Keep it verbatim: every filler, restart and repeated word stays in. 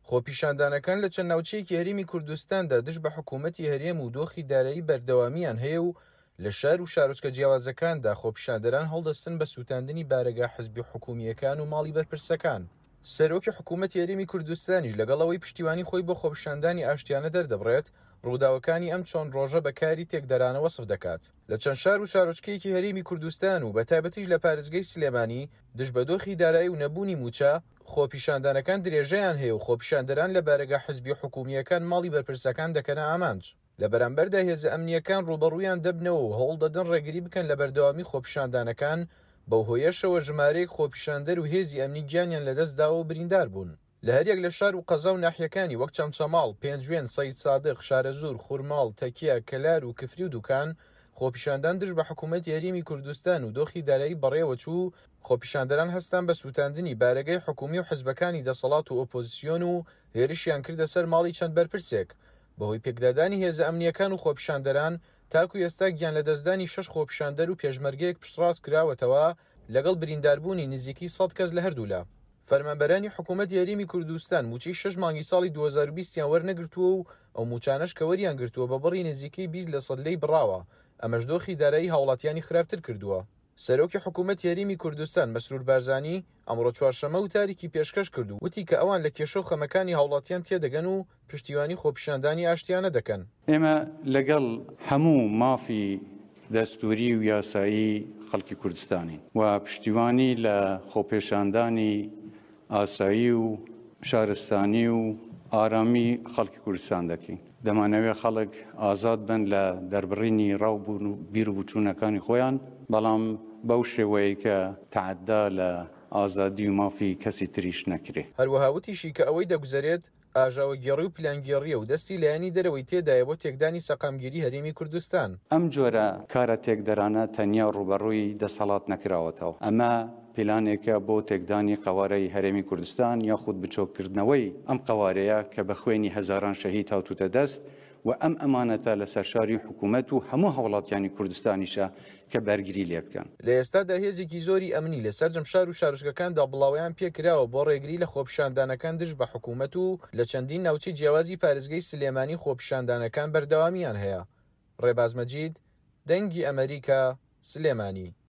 خۆپیشاندانەکان لە چەند ناوچەیەکی هەرێمی کوردستاندا دژ بە حکوومەتی هەرێم و دۆخی دارایی بەردەوامیان هەیە و لە شار و شارۆچکە جیاوازەکاندا خۆپیشاندەران هەڵدەستن بە سووتاندنی بارەگا حزبی حکومییەکان و ماڵی بەرپرسەکان. سەرۆکی حکوومەتی هەرێمی کوردستانیش لەگەڵ ئەوەی پشتیوانی خۆی بۆ خۆپیشاندانی ئاشتیانە دەردەبڕێت، ڕووداوەکانی ئەم چەند ڕۆژە بە کاری تێکدەرانە وەسف دەکات. لە چەند شار و شارۆچکەیەکی هەرێمی کوردستان و بە تایبەتیش لە پارێزگەی سلێمانی دژ بە دۆخی دارایی و نەبوونی مووچە، خۆپیشاندانەکان درێژەیان هەیە و خۆپیشاندەران لە بارەگا حزبی حکومییەکان ماڵی بەرپرسەکان دەکەنە ئامانج. لە بەرامبەردا هێزە ئەمنییەکان ڕووبەڕوویان دەبنەوە و هەوڵ دەدەن ڕێگری بکەن لە بەردەوامی خۆپیشاندانەکان، بەو هۆیەشەوە ژمارەیەک خۆپیشاندەر و هێزی ئەمنی گیانیان لەدەستداوە و بریندار بوون. لە هەریەک لە شار و قەزا و ناحیەکانی وەک چەمچەماڵ، پێنجوێن، سەید سادق، شارەزوور، خورماڵ، تەکیە، کەلار و کفری و دوکان خۆپیشاندان دژ بە حکوومەتی هەرێمی کوردستان و دۆخی دارایی بەڕێوەچوو. خۆپیشاندەران هەستان بە سووتاندنی بارەگای حکومی و حزبەکانی دەسەڵات و ئۆپۆزیسیۆن و هێرشیان کردە سەر ماڵی چەند بەرپرسێک. بەهۆی پێکدادانی هێزە ئەمنییەکان و خۆپیشاندەران تاکو ئێستا گیان لەدەستدانی شەش خۆپیشاندەر و پێشمەرگەیەک پشتڕاست کراوەتەوە لەگەڵ برینداربوونی نزیکەی سەد کەس لە هەردوولا. فەرمانبەرانی حکوومەتی هەرێمی کوردستان مووچەی شەش مانگی ساڵی دوو هەزار و بیست یان وەرنەگرتووە و ئەو مووچانەش کە وەریان گرتووە بە بڕی نزیکەی بیست لە سەد لێی بڕاوە، ئەمەش دۆخی دارایی هاوڵاتیانی خراپتر کردووە. سەرۆکی حکوومەتی هەرێمی کوردستان مەسرور بارزانی ئەمڕۆ چوارشەممە وتارێکی پێشکەش کرد و وتی کە ئەوان لە کێشە و خەمەکانی هاوڵاتیان تێدەگەن و پشتیوانی خۆپیشاندانی ئاشتیانە دەکەن. ئێمە لەگەڵ هەموو مافی دەستوری و یاسایی خەڵکی کوردستانین و پشتیوانی لە خۆپێشاندانی ئاسایی و شارستانی و ئارامی خەڵکی کوردستان دەکەین. دەمانەوێت خەڵک ئازاد بن لە دەربڕینی ڕاو و بیر و بچوونەکانی خۆیان، بەڵام بەو شێوەیە کە تەعەدا لە ئازادی و مافی کەسی تریش نەکرێ. هەروەها وتیشی کە ئەوەی دەگوزەرێت ئاژاوەگێڕی و پلانگێڕیە و دەستی لایەنی دەرەوەی تێدایە بۆ تێکدانی سەقامگیری هەرێمی کوردستان. ئەم جۆرە کارە تێکدەرانە تەنیا ڕووبەڕووی دەسەڵات نەکراوەتەوە، ئەمە پلانێکە بۆ تێکدانی قەوارەی هەرێمی کوردستان یاخود بچۆککردنەوەی ئەم قەوارەیە کە بە خوێنی هەزاران شەهید هاتووتە دەست و ئەم ئەمانەتە لە سەرشاری حکوومەت و هەموو هاوڵاتیانی کوردستانیشە کە بەرگری لێ بکەن. لە ئێستادا هێزێکی زۆری ئەمنی لە سەرجەم شار و شارۆچکەکاندا بڵاوەیان پێکراوە بۆ ڕێگری لە خۆپیشاندانەکان دژ بە حکوومەت و لە چەندین ناوچەی جیاوازی پارێزگەی سلێمانی خۆپیشاندانەکان بەردەوامیان هەیە. ڕێباز مەجید، دەنگی ئەمریکا، سلێمانی.